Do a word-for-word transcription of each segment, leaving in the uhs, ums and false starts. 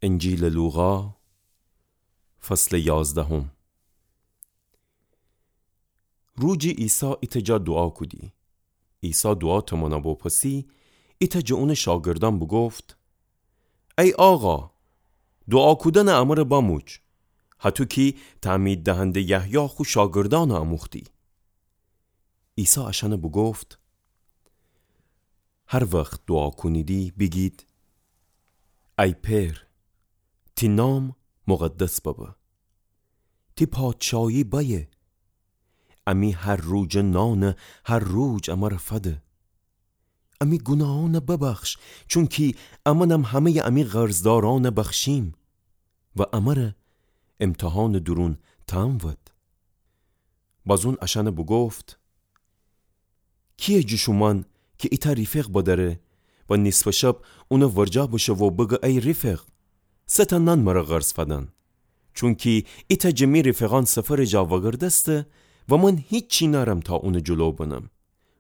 انجیلٚ لوقا، فصلٚ یازدهم. روجی عیسی ایتأ جا دوعا کودی. عیسی دوعا تمانا بوپسی، ایتأ جٚه اونٚ شاگردأن بوگفت: ای آقا، دوعا کودنٚ امر بموج، هطو کی تعمید دهنده یحیی خو شاگردأن اموختی. عیسی اشأن بوگفت: هر وخت دوعا کونیدی بیگید: ای پئر، تی نام مقدس ببه. تی پادشاهی بأیه. امی هر روجٚ نان هر روج امر فده. امی گوناهأن ببخش، چونکی امأنم همه‌یٚ امی قرضدارأن بخشیم. و امر امتحانٚ دورون تنبود. باز اون اشأن بوگفت: کییه جٚه شومأن کی ایتأ ریفق بدأره و نیصفٚ شب اونٚ ورجه بشه و بگه: ای ریفق، سه تأ نان مر قرض فدن، چونکی ایتأ جٚه می ریفقأن سفرٚ جا وگردسته و من هیچی نأرم تا اونٚ جلو بنم.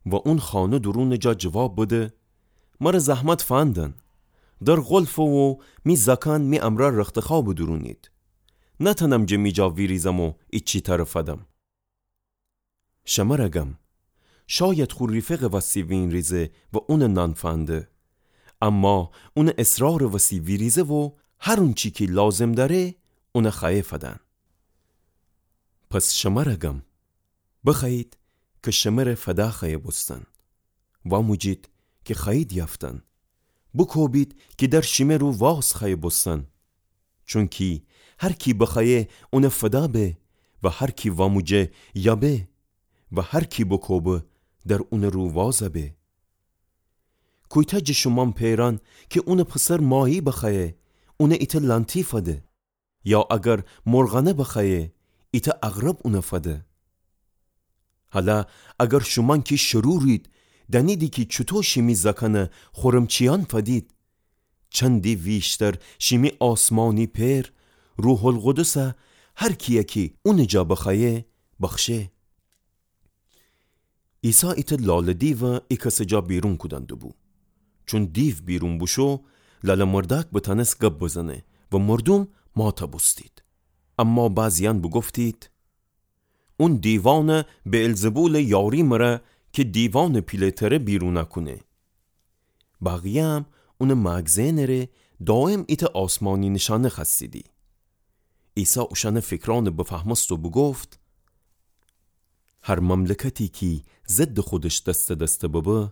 و اون خانه دورونٚ جا جواب بده: مر زحمت فندن، در قلفه و می زأکأن می امرأ رختخوابٚ دورونید. نتأنم جٚه می جا ویریزم و ایچی تر فدم. شمر گم، شاید خو ریفقٚ وسی وینریزه و اونٚ نان فنده. اما اونٚ اصرارٚ وسی ویریزه و هر اونچی کی لازم دأره اون خوأیه فدن. پس شمر گم، بخوأیید کی شمر فدا خوأیه بوستن. واموجید کی خوأیید یأفتن. بوکوبید کی در شیمه رو واز خوأیه بوستن. چونکی هر کی بخوأیه اون فدا به و هر کی واموجه یأبه و هر کی بوکوبه در اونٚ رو واز به. کویتأ جٚه شومأن پئرأن کی اونٚ پسر ماهی بخوأیه اون ایتأ لأنتی فده؟ یا اگر مرغأنه بخوأیه ایتأ عقرب اون فده؟ هلأ اگر شومأن کی شرورید دأنیدی کی چوطو شیمی زأکأن خورمچیأن فدید، چندی ویشتر شیمی آسمانی پئر روح‌القدس هر کیی کی اونٚ جا بخوأیه بخشه. عیسی ایتأ لالٚ دیو ای کسٚ جا بیرون کودن دوبو. چون دیو بیرون بوشو، لالٚ مردأک بتأنس گب بزنه و مردوم مات بوستید. اما بعضیأن بوگفتید: اون دیوأن بئلزبولٚ یاری مره کی دیوأنٚ پیله‌تره بیرون کونه. بقیه‌یم اونٚ مأگزئنٚ ره دایم ایتأ آسمانی نیشأنه خوأستیدی. عیسی اوشأنٚ فیکرأن بفهمست و بوگفت: هر مملکتی کی ضدٚ خودش دسته دسته ببه،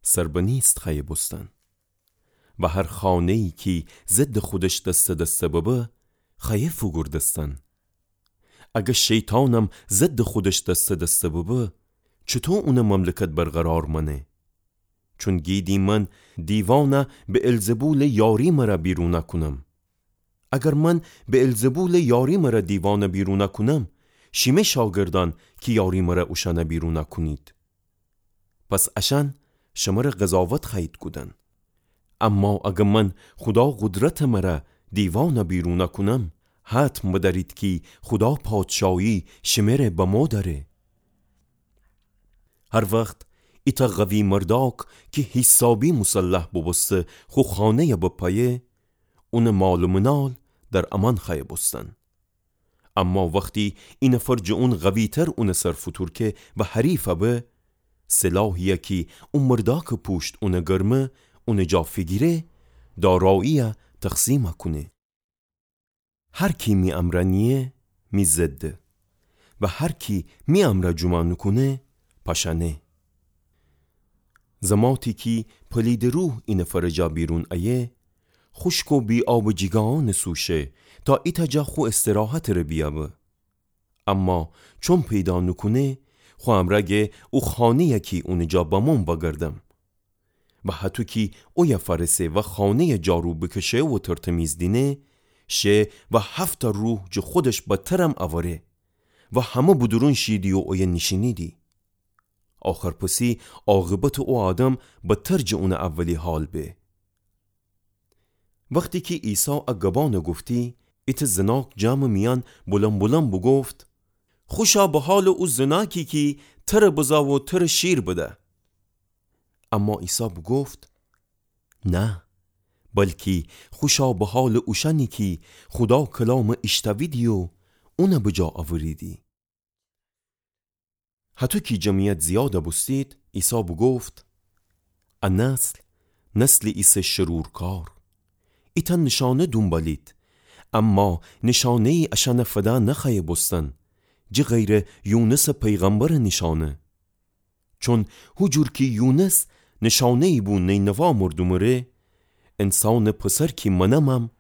سر به نیست خوأیه بوستن. و هر خانه‌یی کی ضدٚ خودش دسته دسته ببه، خوأیه فوگوردستن. اگر شیطانم ضدٚ خودش دسته دسته ببه، چوطو اونٚ مملکت برقرار مأنه؟ چون گیدی من دیوأن بئلزبولٚ یاری مره بیرون کونم. اگر من بئلزبولٚ یاری مره دیوأن بیرون کونم، شیمه شاگردأن کی یاری مره اوشأن بیرون کونید؟ پس اشأن شمر قضاوت خوأیید کودن. اما اگر من خودا قدرتٚ مره دیوأن بیرون کونم، حتم بدأرید کی خودا پادشاهی شمره بمو دأره. هر وخت ایتأ قوی مردأک کی حیسابی مسلح بوبوسته خو خانه‌ی بپأیه، اونٚ مال و منال در امأن خوأیه بوستن. اما وختی ای نفر جٚه اون قوی‌تر اونٚ سر فوتورکه و حریف به، سلاحیی کی او مردأکٚ پوشت اونٚ گرمه، اونٚ جا فیگیره، داراییی تقسیم کونه. هر کی می امرأ نییه، می ضده. و هر کی می امرأ جومأ نوکونه، پاشأنه. زماتی کی پلیدٚ روح ای نفرٚ جا بیرون ایه، خوشک و بی‌آب جیگاهأنٚ سو شه، تا ایتأ جا خو استراحتٚ ره بیأبه. اما چون پیدا نوکونه، خو امرأ گه او خانه‌یی کی اونٚ جا بموم وأگردم. و هطو کی اویه فأرسه و خانه‌ی جارو بکشه و ترتمیز دینه، شه و هفت‌تأ روح جٚه خودش بدترم اوره و همه بدورون شیدی و اویه نیشینیدی. آخرپسی عاقبتٚ او آدم بدتر جٚه اونٚ اولی حال به. وختی کی عیسی ا گبأن گفتی، ایتأ زناک جمعٚ میأن بلندبلند بوگفت: خوشا به حالٚ او زناکی کی تره بزا و تره شیر بده. اما عیسی بوگفت: نه، بلکی خوشا به حالٚ اوشأنی کی خودا کلامٚ ایشتویدی و اونٚ بجا اوریدی. هتو کی جمعیت زیادَ بوستید، عیسی بوگفت: ا نسل، نسلی ایسه شرورکار. ایتأ نشانه دونبالید، اما نشانه‌یی اشأنَ فدا نخوأیه بوستن، جٚه غیرٚ یونسٚ پیغمبرٚ نشانه. چون هو جور کی یونس نشانه‌یی بو نینوا مردومٚ ره، انسانٚ پسر کی منمم،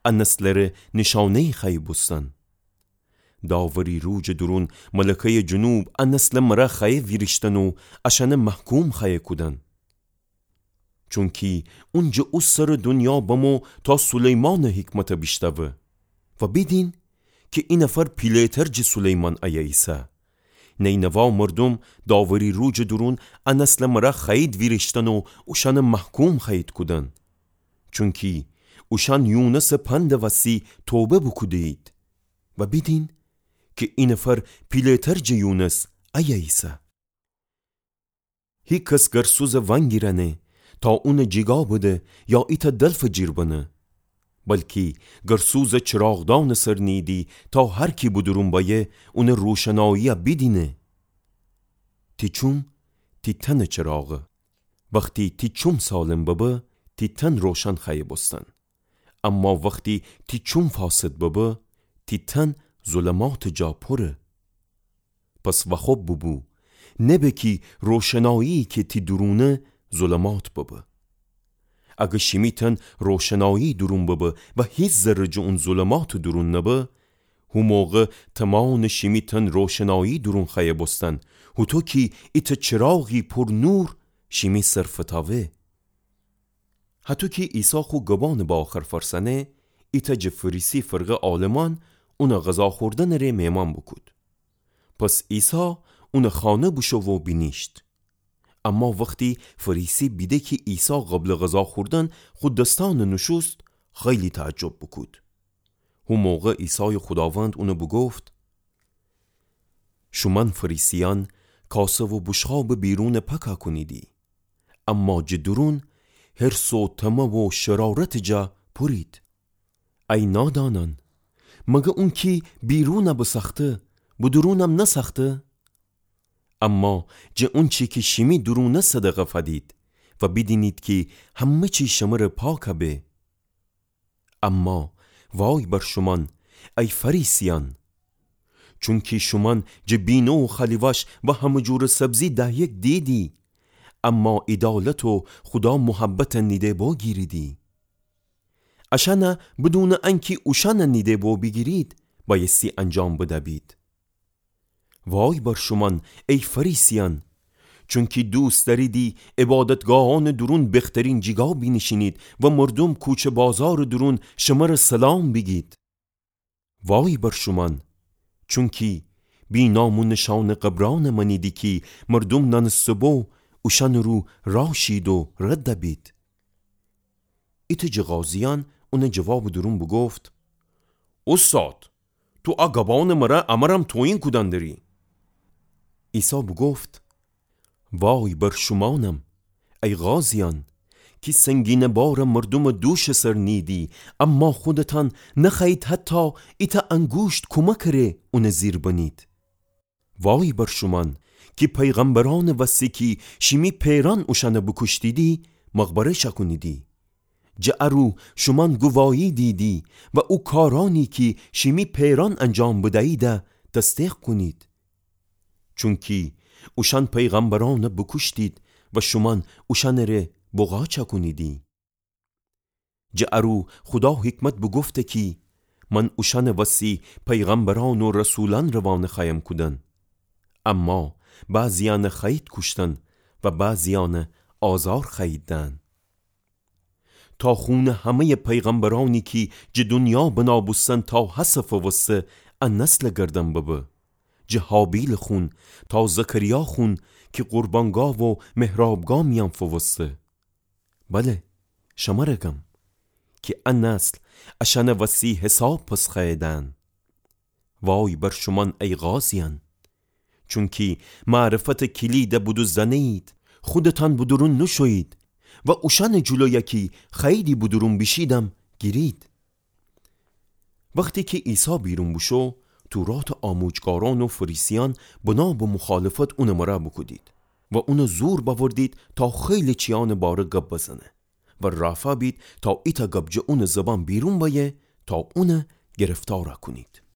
ا نسلٚ ره نشانه‌یی خوأیه بوستن. داوری روجٚ دورون ملکه‌یٚ جنوب ا نسلٚ مرأ خوأیه ویریشتن و اشأنَ محکوم خوأیه کودن. چونکی اون جٚه او سرٚ دونیا بمو تا سلیمانٚ حکمتَ بیشتوه و بیدین کی اینفر پیله‌تر جٚه سلیمان ایه ایسه. نینوا مردوم داوری روجٚ دورون ا نسلٚ مرأ خوأیید ویریشتن و اوشأنَ محکوم خوأیید کودن. چونکی اوشأن یونسٚ پندٚ وسی توبه بوکوده‌یید و بیدین کی اینفر پیله‌تر جٚه یونس ایه ایسه. هیکس گرسوزَ وأنگیرأنه تا اونَ جیگا بده یا ایتأ دلفٚ جیر بنه، بلکی گرسوزَ چراغدانٚ سر نیییدی تا هر کی به دورون بأیه اونٚ روشناییَ بیدینه. تی چوم تی تنٚ چراغه. وختی تی چوم سالم ببه، تی تن روشن خوأیه بوستن. اما وختی تی چوم فاسد ببه، تی تن ظلماتٚ جا پوره. پس واخوب بوبو، نبه کی روشنایی کی تی دورونه ظلمات ببه. اگه شیمی تن روشنایی دورون ببه و هیچ ذره جٚه اون ظلماتٚ دورون نبه، هو موقع تمانٚ شیمی تن روشنایی دورون خوأیه بوستن، هوطو کی ایتأ چراغی پور نور شیمی سر فتاوه. هطو کی عیسی خو گبانٚ به آخر فرسأنه، ایتأ جٚه فریسی فرقه عالمان اونٚ غذا خوردنٚ ره مهمان بوکود. پس عیسی اونٚ خانه بوشو و بینیشت. اما وختی فریسی بیده کی عیسی قبلٚ غذا خوردن خو دسأنٚ نوشوست، خیلی تعجب بوکود. هو موقع عیسایٚ خوداوند اونٚ بوگفت: شومأن فریسیأن کاسه و بوشقابٚ بیرونٚ پاکا کونیدی، اما جٚه دورون حرص و طمع و شرارتٚ جا پورید. ای نادانأن، مگه اونکی بیرونَ بسأخته، به دورونم نسأخته؟ اما جٚه اونچی کی شیمی دورونه صدقه فدید و بیدینید کی همه چی شمره پاکَ به. اما وای بر شومأن، ای فریسیأن! چونکی شومأن جٚه بینه و خلیوش و همه جورٚ سبزی دهیک دییدی، اما عیدالت و خودا محبتَ نیده بو گیریدی. اشأنَ بدونٚ انکی اوشأنَ نیده بو بیگیرید، بأیستی انجام بده‌بید. وای بر شومأن، ای فریسیأن! چونکی دوست دأریدی عبادتگاهأنٚ دورون بخترین جیگا بینیشینید و مردوم کوچه بازارٚ دورون شمره سلام بیگید. وای بر شومأن! چونکی بی نام و نشانٚ قبرأنَ مأنیدی کی مردوم نأنسته بو اوشأنٚ رو راشید و ردَ بید. ایتأ جٚه قاضیأن اونٚ جوابٚ دورون بوگفت: اوستاد، تو ا گبأنٚ مره امرم توهین کودن دری. عیسی بوگفت: وای بر شومأنم، ای قاضیأن، کی سنگینٚ بارَ مردومٚ دوشٚ سر نییدی، اما خودتأن نخوأیید حتی ایتأ انگوشت کومکٚ ره اونٚ زیر بنید. وای بر شومأن کی پیغمبرأنٚ وستی کی شیمی پئرأن اوشأنَ بوکوشتیدی، مقبره شأکونیدی. جٚه ا رو شومأن گوواهی دییدی و او کارأنی کی شیمی پئرأن انجام بدییدَ تصدیق کونید. چونکی اوشأن پیغمبرأنَ بوکوشتید و شومأن اوشأنٚ ره بغا چأکونیدی. جٚه ا رو خودا حکمت بوگفته کی من اوشأنٚ وستی پیغمبرأن و رسولأن روانه خوأیم کودن. اما بعضیأنَ خوأیید کوشتن و بعضیأنَ آزار خوأیید دهن. تا خونٚ همه‌یٚ پیغمبرأنی کی جٚه دونیا بنا بوستن تا هسه فووسته ا نسلٚ گردن ببه. جٚه هابیلٚ خون تا زکریا خون کی قربانگاه و محرابگاه میأن فووسته. بله، شمره گم کی ا نسل اشأنٚ وستی حساب پس خوأیه دهن. وای بر شومأن ای قاضیأن! چونکی معرفتٚ کلیدَ بدوزدأنه‌یید، خودتأن به دورون نوشویید، و اوشأنٚ جلویَ کی خوأییدی بدورون بیشیدم، گیرید. وختی کی عیسی بیرون بوشو، توراتٚ آموجگارأن و فریسیأن بنا به مخالفت اونٚ مره بوکودید و اونَ زور بأوردید تا خیلی چیأنٚ باره گب بزنه و رافا بید تا ایتأ گب جٚه اونٚ زبان بیرون بأیه تا اونَ گرفتارَ کونید.